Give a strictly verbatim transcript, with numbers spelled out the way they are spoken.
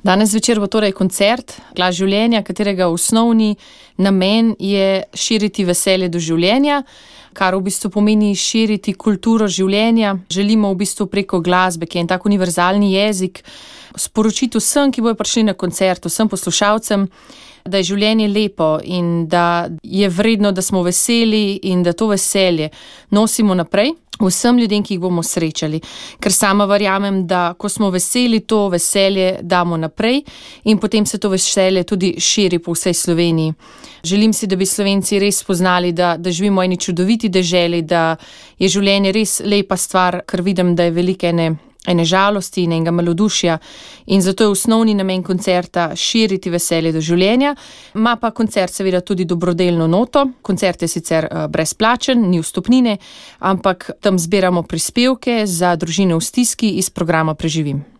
Danes zvečer bo torej koncert Glas življenja, katerega osnovni namen je širiti veselje do življenja, kar v bistvu pomeni širiti kulturo življenja. Želimo v bistvu preko glasbe, ki je en tak univerzalni jezik, sporočiti vsem, ki bojo prišli na koncert, vsem poslušalcem, da je življenje lepo in da je vredno, da smo veseli in da to veselje nosimo naprej vsem ljudem, ki jih bomo srečali. Ker sama verjamem, da ko smo veseli, to veselje damo naprej in potem se to veselje tudi širi po vsej Sloveniji. Želim si, da bi Slovenci res spoznali, da, da živimo v eni čudoviti deželi, da je življenje res lepa stvar, ker vidim, da je veliko ene ene žalosti in enega malodušja in zato je osnovni namen koncerta širiti veselje do življenja. Ma pa koncert seveda tudi dobrodelno noto. Koncert je sicer brezplačen, ni vstopnine, ampak tam zbiramo prispevke za družine v stiski iz programa Preživim.